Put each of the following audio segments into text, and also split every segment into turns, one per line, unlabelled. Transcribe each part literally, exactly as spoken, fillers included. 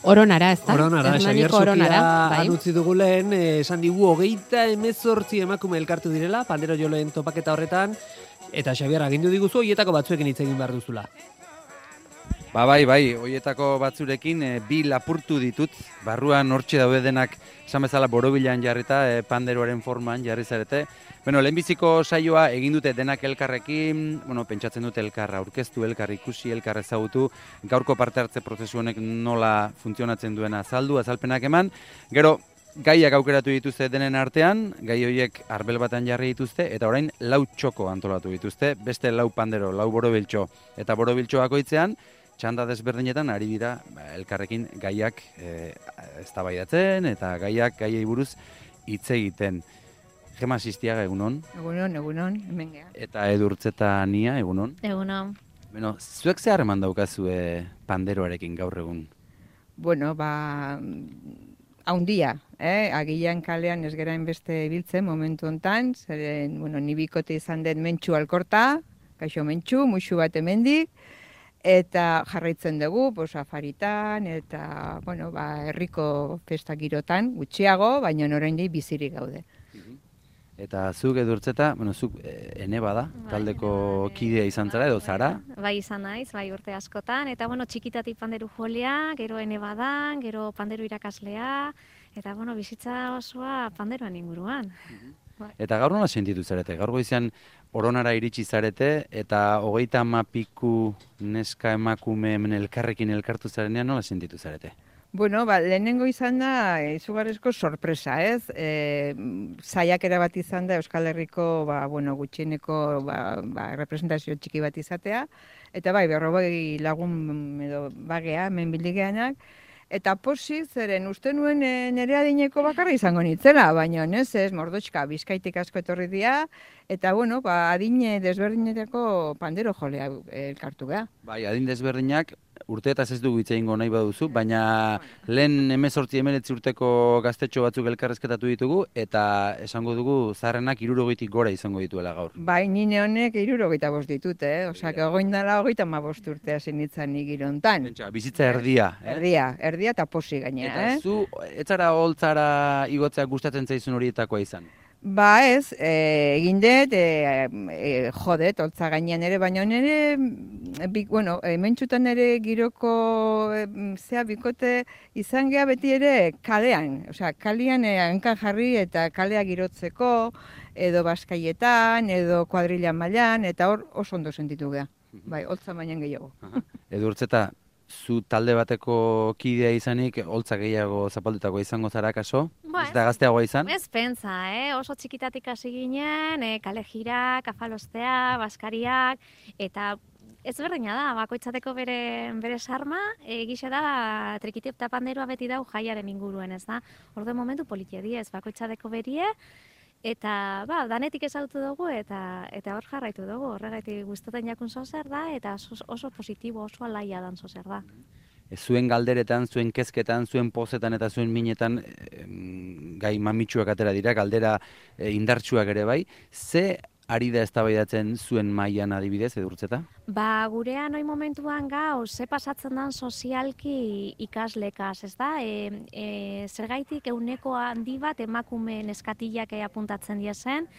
Oronara, ez da?
Oronara, Xabier
Oronara,
Sofia anutzi dugu lehen, esan digu hogeita emezortzi emakume elkartu direla, pandero joleen topaketa horretan, eta Xabier agindu diguzu, hoietako batzuekin hitz egin behar duzula.
Ba bai, bai, hoietako batzurekin e, bi lapurtu ditut, barruan hortxe daude denak, esan bezala borobilan jarrita, e, panderoaren forman jarri zarete. Bueno, lehenbiziko saioa egin dute denak elkarrekin, bueno, pentsatzen dute elkarra aurkeztu, elkar ikusi, elkar ezagutu, gaurko parte hartze prozesu honek nola funtzionatzen duena azaldu, azalpenak eman, gero gaiak aukeratu dituzte denen artean, gai horiek arbel batan jarri dituzte, eta orain lau txoko antolatu dituzte, beste lau pandero, lau borobiltxo, eta borobiltxo bakoitzean, txanda desberdinetan ari dira ba, elkarrekin gaiak e, eztabaidatzen eta gaiak gaiei buruz hitz egiten. Gema Sistiaga, egunon.
Egunon, egunon, hemen geha.
Eta Edurtzeta Nia, egunon.
Egunon.
Bueno, zuek ze harreman daukazue panderoarekin gaur egun?
Bueno, ba, haundia, eh? Agian kalean ez gerain beste ibiltzen momentu hontan, zeren, bueno, ni bikote izan den Mentxu Alkorta, kaixo Mentxu, muixu bat hemendik, eta jarraitzen dugu, pues, afaritan, eta, bueno, ba, herriko festa girotan, gutxiago, baina oraindik bizirik gaude.
Eta zuk Edurtzeta, bueno, zuk e, ene bada, taldeko kidea izan zara edo zara?
Bai izan naiz, bai urte askotan, eta bueno, txikitatik panderu jolea, gero ene badan, gero panderu irakaslea, eta bueno, bizitza osoa panderoan inguruan.
Eta gaur nola sentitu zarete? Gaur goizean Oronara iritsi zarete, eta hogeita hamapiku neska emakume hemen elkarrekin elkartu zarenean nola sentitu zarete?
Bueno, ba, lehenengo izan da, izugarrizko sorpresa, ez? E, saiakera bat izan da Euskal Herriko, ba, bueno, gutxieneko ba, ba, representazio txiki bat izatea, eta bai, berrogei lagun edo bagea, hemen bildigeanak, eta posi, zeren uste nuen e, nire adineko bakarra izango nitzela, baina ez ez, Mordotxka, Bizkaitik asko etorri dira, eta bueno, ba, adine desberdinetako pandero jolea elkartu geha.
Bai, adin desberdinak, urteetaz ez dugu hitz egingo nahi baduzu, baina lehen hemezortzi hemeretzi urteko gaztetxo batzuk elkarrezketatu ditugu, eta esango dugu zaharrenak hirurogeitik gora izango dituela gaur.
Bai, nine honek hirurogeita bost ditut, eh? Osea, egoin dela hogeita hamabost urtea zenitzan igirontan.
Pentsa, bizitza erdia, eh?
Erdia, erdia eta posi gainera, eh?
Eta zu, etzara holtzara igotzea gustatzen zaizun horietakoa izan?
Ba ez, e, egin dut, e, e, jodet, holtza gainean ere, baina nire, bi, bueno, e, mentxutan ere giroko e, zea bikote izan geha beti ere kalean, osea, kalean e, hankan jarri eta kalea girotzeko, edo baskaietan, edo kuadrilla mailan, eta hor oso ondo sentitu geha, bai, holtza bainan gehiago.
Edurtzeta, zu talde bateko kidea izanik, holtza gehiago zapaldutako izango zara kaso?
Ba,
ez da gazteagoa izan?
Ez pentsa, eh? Oso txikitatik hasi ginen, eh, kale jirak, afalostea, baskariak, eta ez berdina da, bakoitzateko bere, bere sarma, egixe da, trikiti eta panderoa beti dau jaiaren inguruen, ez da? Orde momentu politia diez, bakoitzateko berie, eta ba, danetik ezautu dugu eta eta hor jarraitu dugu, horregatik gustatzen jakun zozer da, eta oso, oso positibo, oso alaia dan zozer da.
Zuen galderetan, zuen kezketan, zuen pozetan eta zuen minetan e, gai mamitsuak atera dira, galdera e, indartsuak ere bai. Ze ari da eztabaidatzen zuen mailan adibidez, Edurtzeta?
Ba, gurean oi momentuan gau, ze pasatzen dan sozialki ikaslekaz, ez da? E, e, zergaitik euneko handi bat emakume neskatilak apuntatzen diezen,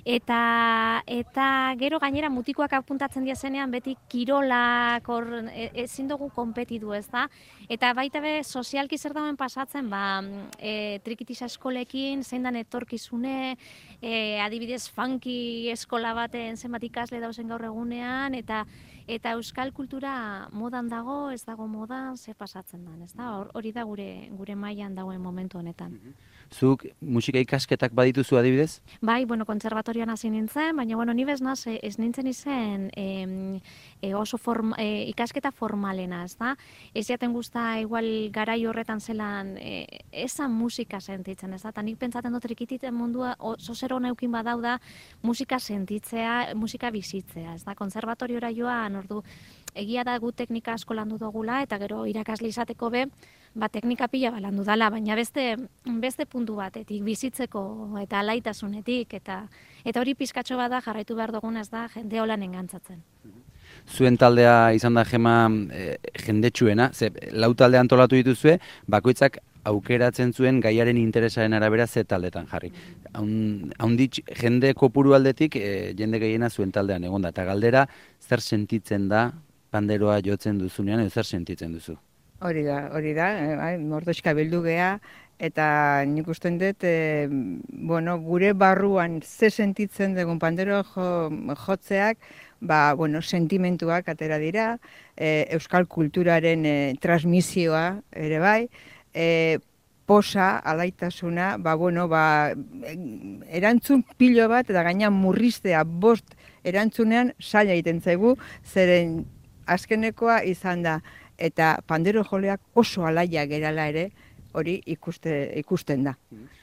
eta eta gero gainera mutikoak apuntatzen diezenean beti kirolak hor e, ezin dugu konpetitu, ez da? Eta baita be sozialki zer dauen pasatzen, ba, e, trikitisa eskolekin, zein dan etorkizune, e, adibidez funky eskola baten zenbat ikasle dauzen gaur egunean, eta eta euskal kultura modan dago, ez dago modan, ze pasatzen dan, ez da? Hori da gure gure mailan dagoen momentu honetan.
Zuk musika ikasketak badituzu adibidez?
Bai, bueno, kontserbatorioan hasi nintzen, baina bueno, ni bez naz, ez nintzen izen e, e, oso form, e, ikasketa formalena, ez da? Ez jaten guzta, igual garai horretan zelan, e, ezan musika sentitzen, ez da? Ta nik pentsaten dut trikititen mundua, oso zer hona eukin badau da, musika sentitzea, musika bizitzea, ez da? Kontserbatoriora joan, ordu, egia da gu teknika asko landu dugula, eta gero irakasle izateko be, ba, teknika pila balandu dala, baina beste, beste puntu batetik, bizitzeko eta alaitasunetik, eta eta hori pizkatxo bada jarraitu behar dugun ez da jende holan engantzatzen.
zuen taldea izan da Gema e, jendetsuena, ze lau talde antolatu dituzue, bakoitzak aukeratzen zuen gaiaren interesaren arabera ze taldetan jarri. Haunditx jende kopuru aldetik e, jende gehiena zuen taldean egon da, eta galdera zer sentitzen da panderoa jotzen duzunean, edo zer sentitzen duzu?
Hori da, hori da, eh, mordoxka bildu gea, eta nik usten dut, e, bueno, gure barruan ze sentitzen dugun pandero jo, jotzeak, ba, bueno, sentimentuak atera dira, e, euskal kulturaren e, transmisioa ere bai, e, posa, alaitasuna, ba, bueno, ba, erantzun pilo bat, eta gaina murriztea bost erantzunean saila egiten zaigu, zeren azkenekoa izan da, eta pandero joleak oso alaia gerala ere, hori ikuste, ikusten da.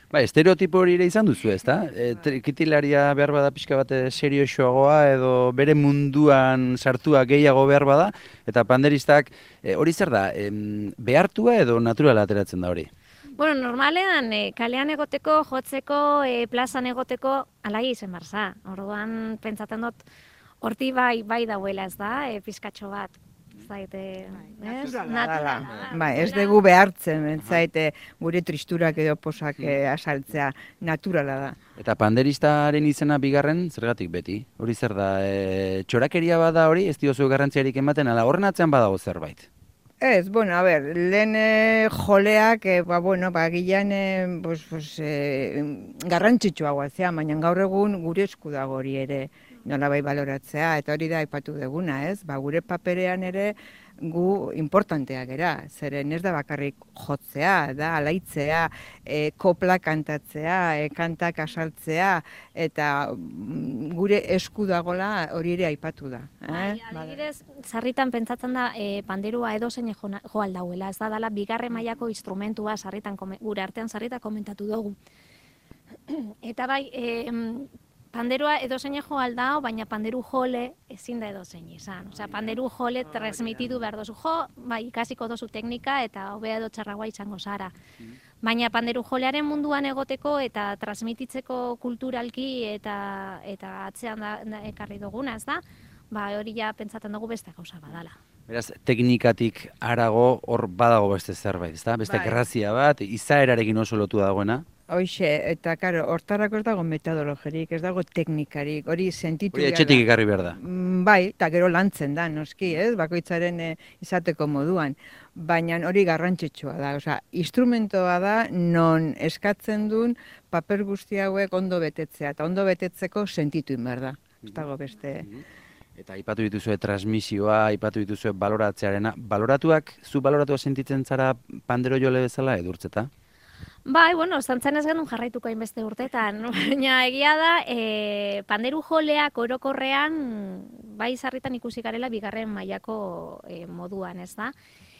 Ba, estereotipo hori ere izan duzu, ezta? E, trikitilaria behar bada pixka bat seriosoagoa edo bere munduan sartua gehiago behar bada, eta panderistak e, hori zer da, em, behartua edo naturala ateratzen da hori?
Bueno, normalean, e, kalean egoteko, jotzeko, e, plazan egoteko, alai izen barza. Orduan, pentsatzen dut, horti bai, bai dauela ez da, e, pizkatxo bat. Zaite, ez? Naturala.
Ba, ez dugu behartzen, zaite gure tristurak edo posak eh, asaltzea naturala da.
Eta panderistaren izena bigarren, zergatik beti? Hori zer da, e, txorakeria bada hori, ez diozu garrantziarik ematen, ala horren atzean badago zerbait?
Ez, bueno, a ber, lehen e, joleak, e, ba, bueno, ba, gilean e, pues, pues, e, garrantzitsuagoa zea, baina gaur egun gure esku dago hori ere nolabai baloratzea, eta hori da aipatu duguna, ez? Ba, gure paperean ere gu importantea gera, zeren ez da bakarrik jotzea, da alaitzea, e, kopla kantatzea, e, kantak asaltzea, eta gure esku dagola hori ere aipatu da. Eh?
Bai, adibidez, sarritan pentsatzen da e, panderua edozein jo, jo aldauela, ez da dela bigarren mailako instrumentua sarritan, gure artean sarritan komentatu dugu. Eta bai, e, panderua edozein jo aldao, baina panderu jole ezin da edozein izan. Osea, panderu jole transmititu behar dozu. Jo, bai, ikasiko dozu teknika eta hobea edo txarragoa izango zara. Baina panderu jolearen munduan egoteko eta transmititzeko kulturalki eta eta atzean da, da ekarri duguna, ez da? Ba, hori ja pentsatzen dugu beste gauza badala.
Beraz, teknikatik harago hor badago beste zerbait, ezta? Beste
Bai.
grazia bat, izaerarekin oso lotu dagoena.
Hoxe, eta karo, hortarako ez dago metodologerik, ez dago teknikarik, hori sentitu
Hori
behar
etxetik
da.
ekarri behar da.
Mm, Bai, eta gero lantzen da, noski, ez, bakoitzaren eh, izateko moduan. Baina hori garrantzitsua da, osea, instrumentoa da non eskatzen duen paper guzti hauek ondo betetzea, eta ondo betetzeko sentitu behar da. Ez dago beste...
Eta aipatu dituzue transmisioa, aipatu dituzue baloratzearena. Baloratuak, zu baloratua sentitzen zara pandero jole bezala edurtzeta?
Bai, bueno, zantzen ez genuen jarraituko hainbeste urtetan, baina egia da, e, panderu joleak orokorrean, bai sarritan ikusi garela bigarren mailako e, moduan, ez da?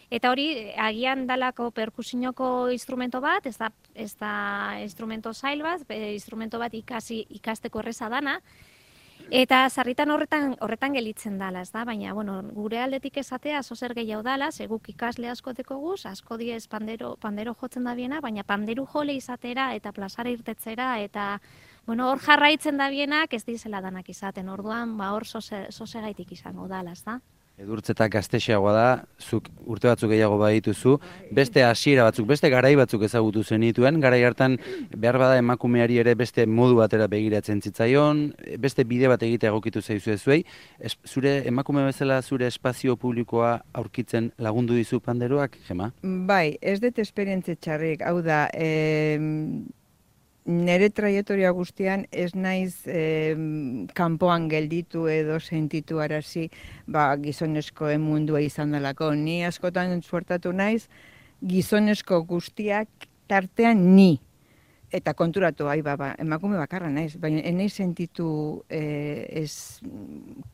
Eta hori, agian dalako perkusinoko instrumento bat, ez da, ez da instrumento zail bat, e, instrumento bat ikasi, ikasteko erreza dana, eta sarritan horretan horretan gelitzen dala, ez da? Baina, bueno, gure aldetik esatea zozer gehiago dala, seguk ikasle asko dekoguz, asko diez pandero, pandero jotzen da biena, baina panderu jole izatera eta plazara irtetzera eta bueno, hor jarraitzen da bienak ez dizela danak izaten, orduan ba hor zozegaitik izango dala, ez da?
Edurtzeta gaztexeagoa da, zuk urte batzuk gehiago badituzu, beste hasiera batzuk, beste garai batzuk ezagutu zenituen, garai hartan behar bada emakumeari ere beste modu batera begiratzen zitzaion, beste bide bat egitea egokitu zaizu ezuei, zure emakume bezala zure espazio publikoa aurkitzen lagundu dizu panderoak, Gema?
Bai, ez dut esperientze txarrik, hau da, eh, nere traiektoria guztian ez naiz eh, kanpoan gelditu edo sentitu arazi ba, gizonezkoen mundua izan delako. Ni askotan suertatu naiz gizonezko guztiak tartean ni. Eta konturatu, ai, ba, ba, emakume bakarra naiz, baina enei sentitu eh, ez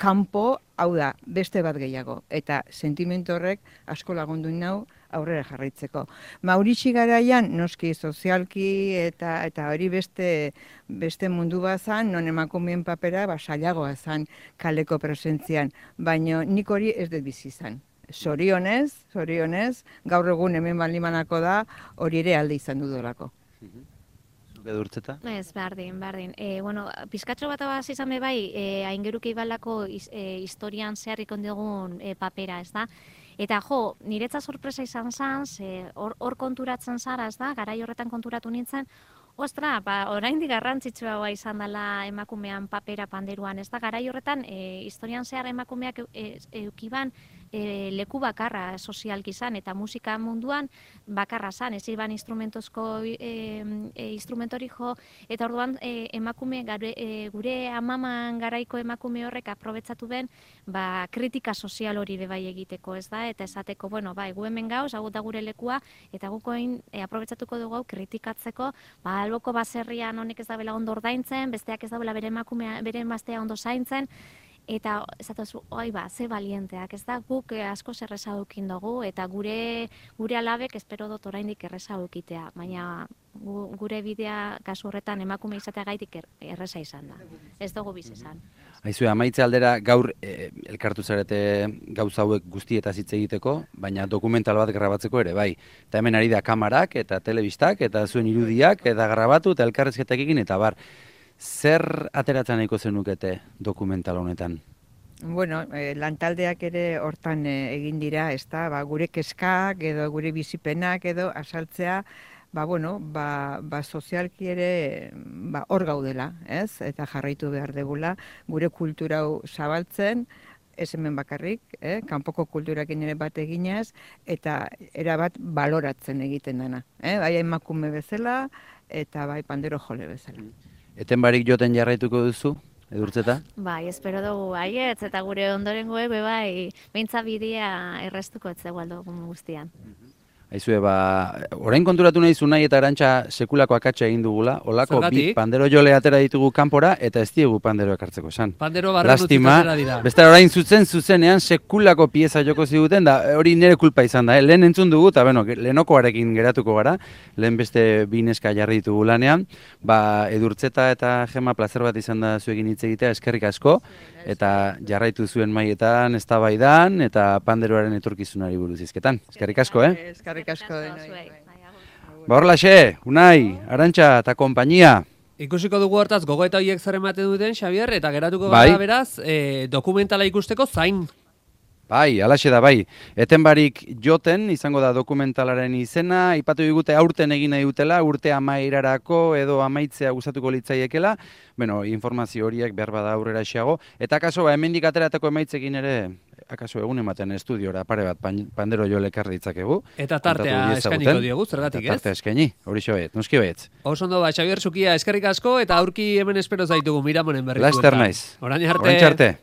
kanpo, hau da, beste bat gehiago. Eta sentimentu horrek asko lagundu nau aurrera jarraitzeko. Mauritxi garaian, noski sozialki eta eta hori beste beste mundu bat zan, non emakumeen papera ba, sailagoa zan kaleko presentzian, baina nik hori ez dut bizi izan. Zorionez, zorionez, gaur egun hemen balimanako da, hori ere alde izan dudolako.
zuk Edurtzeta?
Ez, berdin, berdin. E, bueno, pizkatxo bat abaz izan be bai, e, aingeruke ibalako iz, e, historian zeharrik ondegun e, papera, ez da? Eta jo, niretza sorpresa izan zan, ze hor, hor konturatzen zara, ez da? Garai horretan konturatu nintzen, ostra, ba, oraindik garrantzitsua izan dela emakumean papera panderuan, ez da? Garai horretan, e, historian zehar emakumeak e, eukiban e, leku bakarra sozialki izan, eta musika munduan bakarra zan, ez iban instrumentozko e, e, instrumentori jo, eta orduan e, emakume, gure, e, gure amaman garaiko emakume horrek aprobetsatu ben, ba, kritika sozial hori bebai egiteko, ez da? Eta esateko, bueno, bai, gu hemen gauz, hau da gure lekua, eta gukoin e, aprobetsatuko dugu hau kritikatzeko, ba, alboko baserrian honek ez da bela ondo ordaintzen, besteak ez da bela bere emakumea, bere emaztea ondo zaintzen, eta esatuzu, oi ba, ze balienteak, ez da, guk asko erreza dukin dugu, eta gure gure alabek espero dut oraindik erreza dukitea, baina gu, gure bidea kasu horretan emakume izatea gaitik er, erreza izan da, ez dugu biz izan.
Aizue, amaitze aldera gaur e, elkartu zarete gauza hauek guztietaz hitz egiteko, baina dokumental bat grabatzeko ere, bai. Eta hemen ari da kamarak eta telebistak eta zuen irudiak eta grabatu eta elkarrezketak egin eta bar. Zer ateratzen nahiko zenukete dokumental honetan?
Bueno, eh, lantaldeak ere hortan eh, egin dira, ez da, ba, gure kezkak edo gure bizipenak edo asaltzea, ba, bueno, ba, ba sozialki ere ba, hor gaudela, ez? Eta jarraitu behar degula, gure kultura hau zabaltzen, ez hemen bakarrik, eh? Kanpoko kulturakin ere bat eginez, eta erabat baloratzen egiten dena. Eh? Bai emakume bezala, eta bai pandero jole bezala.
Eten barik joten jarraituko duzu, Edurtzeta?
Bai, espero dugu baietz, eta gure ondorengoek be bai, beintza bidea errestuko etzegu aldogun guztian.
Aizue, ba, orain konturatu nahi Zunai eta Arantxa sekulako akatsa egin dugula, olako bi pandero jole atera ditugu kanpora, eta ez diegu panderoak hartzeko esan.
Pandero barren utzitazera dira.
Beste orain zutzen zuzenean sekulako pieza joko ziguten, da hori nire kulpa izan da, eh? Lehen entzun dugu, eta beno, lehenokoarekin geratuko gara, lehen beste bi neska jarri ditugu lanean, ba, Edurtzeta eta Gema plazer bat izan da zuekin hitz egitea, eskerrik asko, eta jarraitu zuen maietan, eztabaidan eta panderoaren etorkizunari buruz hizketan. Eskerrik asko, eh?
Eskerrik asko denoi.
Ba horlaxe, Unai, Arantxa eta konpainia.
Ikusiko dugu hortaz gogoeta horiek zer ematen duten, Xabier, eta geratuko
bai.
gara beraz, e, dokumentala ikusteko zain.
Bai, alaxe da, bai. Eten barik joten, izango da dokumentalaren izena, ipatu digute aurten egin nahi dutela, urte amairarako edo amaitzea gustatuko litzaiekela, bueno, informazio horiek behar bada aurrera xeago, eta akaso, ba, hemendik ateratako emaitzekin ere, akaso egun ematen estudiora pare bat pandero jo lekar ditzakegu.
Eta tartea eskainiko diogu, zergatik ez?
Tartea eskaini, hori xoet, noski baietz.
Oso ondo, ba, Xabier Zukia eskerrik asko, eta aurki hemen espero zaitugu Miramonen berri.
Laster naiz.
Orain arte.
Orain arte.